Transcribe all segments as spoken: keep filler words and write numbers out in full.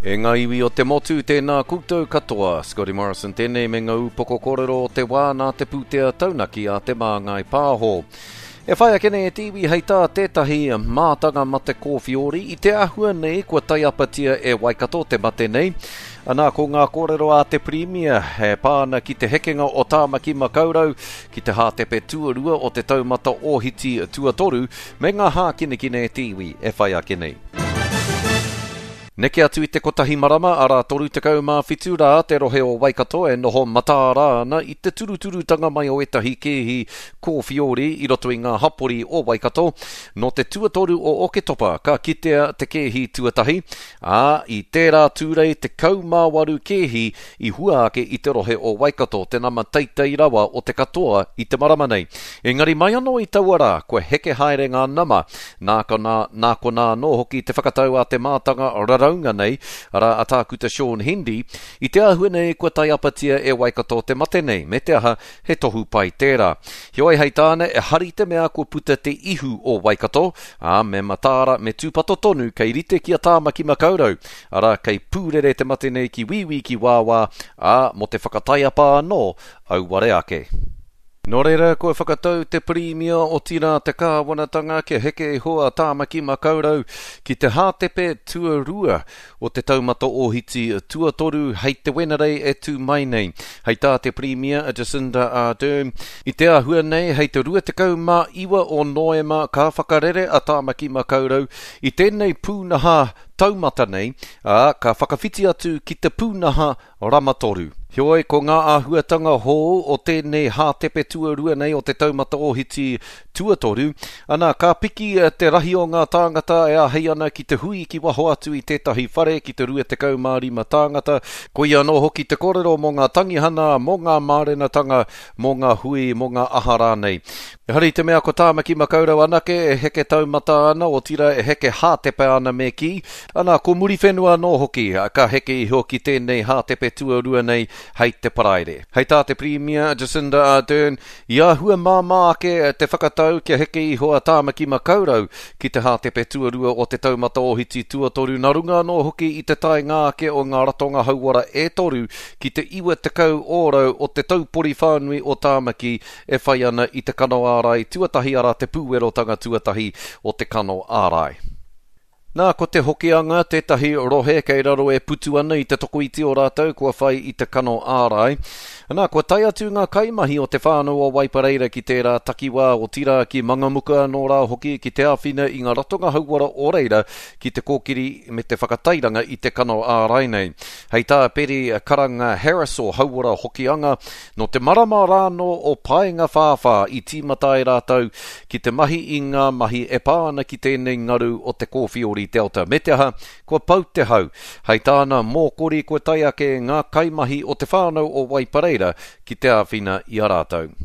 E ngā iwi o te motu, tēnā koutou katoa. Scotty Morrison tēnei me ngā upoko kōrero o te wā nā te pūtea taunaki a Te Māngai Pāho. E whai ake nei e te iwi hei tā tētahi mātanga mate kōwhiori i te āhua nei kua taiapatia e Waikato te mate nei. Anā, ko ngā kōrero a te Pirimia e pā ana ki te hekenga o Tāmaki Makaurau ki te hātepe tuarua o te taumata ōhiti tuatoru me ngā hākinakina e te iwi e whai ake nei. Neke atu i te kotahi marama, arā toru tekau mā whitu rā te rohe o Waikato e noho mataara ana i te turuturutanga mai o ētahi kēhi kōwhiori i roto i ngā hapori o Waikato. Nō te tuatoru o Oketopa ka kitea te kēhi tuatahi, ā, i tērā Tūrei tekau mā waru kēhi i hua ake i te rohe o Waikato, te nama teitei rawa o te katoa i te marama nei. Engari mai anō i taua rā, kua heke haere ngā nama, nā konā, nā konā anō hoki te whakatau a te mātanga raraunga nei, arā a Tākuta Shaun Hendy, i te āhua nei kua taiapatia e Waikato te mate nei, me te aha, he tohu pai tērā. Heoi hei tāna, e hari te mea kua puta te ihu o Waikato, ā, me mataara, me tūpato tonu kei rite ki a Tāmaki Makaurau, arā kei pūrere te mate nei ki wīwī ki wāwā, ā, mō te whakataiapa anō, auware ake. Nō reira, kua whakatau te Pirimia otirā te kāwanatanga kia heke iho a Tāmaki Makaurau ki te hātepe tuarua o te taumata ōhiti tuatoru hei te Wenerei e tū mai nei. Hei tā te Pirimia a Jacinda Ardern, i te āhua nei hei te rua tekau mā iwa o Noema ka whakarere a Tāmaki Makaurau i tēnei pūnaha taumata nei, ā, ka whakawhiti atu ki te pūnaha rama toru. Heoi, ko ngā āhuatanga hou o tēnei hātepe tuarua nei o te taumata ōhiti tuatoru, ana, ka piki te rahi o ngā tāngata e āhei ana ki te hui ki waho atu i tētahi whare ki te rua tekau mā rima tāngata. Koia anō hoki te kōrero mō ngā tangihana, mō ngā mārenatanga, mō ngā hui, mō ngā aha rānei. Ehara i te mea ko Tāmaki Makaurau anake e heke taumata ana, otirā e heke hātepe ana me kī. Ana, ko Muriwhenua anō hoki, ka heke iho ki tēnei hātepe tuarua nei hei te Paraire. Hei tā te Pirimia Jacinda Ardern, i āhua māmā ake te whakatau kia heke iho a Tāmaki Makaurau ki te hātepe tuarua o te taumata ōhiti tuatoru, nā runga anō hoki i te taenga ake o ngā ratonga hauora e toru ki te iwa tekau ōrau o te taupori whānui o Tāmaki e whai ana i te kano ārai tuatahi, arā te pūwerotanga tuatahi o te kano ārai. Nā, ko te Hokianga tētahi rohe kei raro e putu ana i te tokoiti o rātou kua whai i te kano ārai. Nā, kua tae atu ngā kaimahi o te whānau o Waipareira ki tērā takiwā otirā ki Mangamuka anō rā hoki ki te āwhina i ngā ratonga hauora o reira ki te kōkiri me te whakatairanga i te kano ārai nei. Hei tā Peri Karanga Harris o Hauora Hokianga, nō te marama rānō o Paengawhāwhā i tīmata ai rātou ki te mahi i ngā mahi e pā ana ki tēnei ngaru o te kōwhiori Delta. Me te aha, kua pau te hau. Hei tāna mōkori kua tae ake ngā kaimahi o te whānau o Waipareira ki te āwhina i a rātou.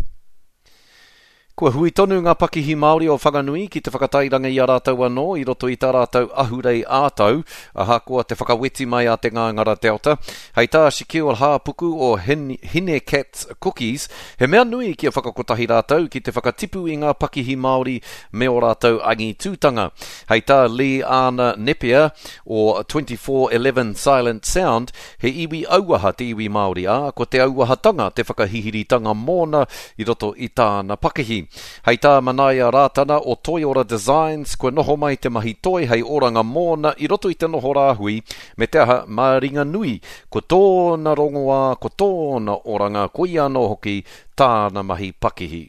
Kua hui tonu ngā pakihi Māori o Whanganui ki te whakatairanga i a rātou anō i roto i tā rātou ahurei ā-tau, ahakoa te whakaweti mai a te Ngāngara Delta. Hei tā Shaquille Hāpuku o Hin-, Hinecats Cookies, he mea nui kia whakakotahi rātou ki te whakatipu i ngā pakihi Māori me o rātou angitūtanga. Hei tā Lee Arna Nepia o twenty-four eleven Silent Sound, he iwi auaha te iwi Māori, ā, ko te auahatanga te whakahihiritanga mōna i roto i tāna pakihi. Hei tā Manaia Rātana o Toiora Designs, kua noho mai te mahi toi hei oranga mōna i roto i te noho rāhui, me te aha mā ringa nui, ko tōna rongoā, ko tōna oranga, ko ia anō hoki tāna mahi pakihi.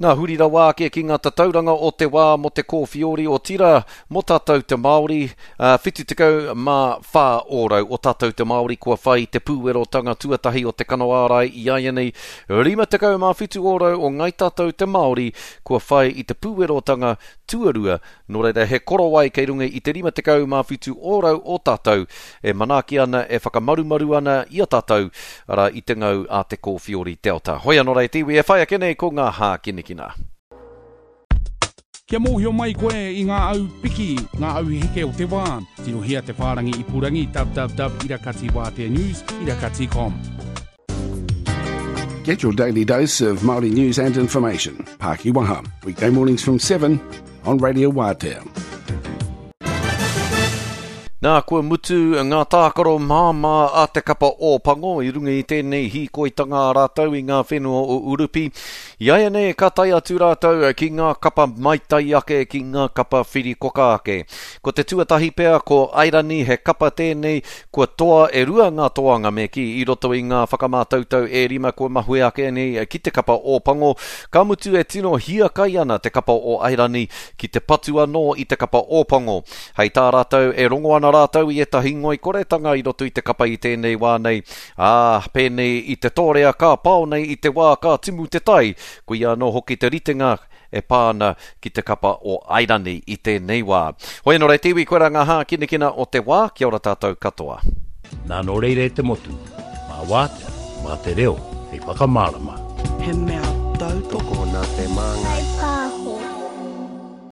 Nā, huri rawa ake ki ngā tatauranga o te wā mō te kōwhiori o tira, mō tātou te Māori, ā, whitu tekau mā whā ōrau o tātou te Māori kua whai te pūwerotanga tuatahi o te kano ārai i āianei, rima tekau mā whitu ōrau o ngai tātou te Māori kua whai i te pūwerotanga tuarua, nō reira he korowai kei runga i te rima tekau mā whitu ōrau o tātou e manaaki ana, e whakamarumaru ana i a tātou, arā i te ngau a te kōwhiori Delta. Hoi anō rei te iwi e whai ake nei ko ngā hākinakina. Kia mōhio mai koe i ngā au piki, ngā au heke o te wā. Tirohia te whārangi ipurangi www irakati wātea news irakati com. Get your daily dose of Māori news and information. Pākiwaha, weekday mornings from seven on Radio Wātea. Nā, kua mutu mutu ngā tākaro māmā a te kapa Ōpango i runga i tēnei hīkoitanga a rātou i ngā whenua o Urupi. Iaianei ka tae atu rātou ki ngā kapa maitai ake, ki ngā kapa whirikoka ake. Ko te tuatahi pea ko Airani, he kapa tēnei kua toa e rua ngā toanga me kī i roto i ngā whakamātautau e rima kua mahue ake nei ki te kapa Ōpango. Ka mutu e tino hiakai ana te kapa o Airani ki te patu anō i te kapa Ōpango. Hei tā rātou e rongo ana rātou i ētahi ngoikoretanga i roto i te kapa i tēnei wā nei. Ā, pēnei i te tōrea ka pao nei i te wā ka timu te tai, koia anō hoki te ritenga e pā ana ki te kapa o Airani i tēnei wā. Hoi anō rā te iwi, koirā ngā hākinakina o te wā, kia ora tātou katoa. Nā nō reira e te motu, mā Wātea, mā te reo, hei whakamārama. He mea tautoko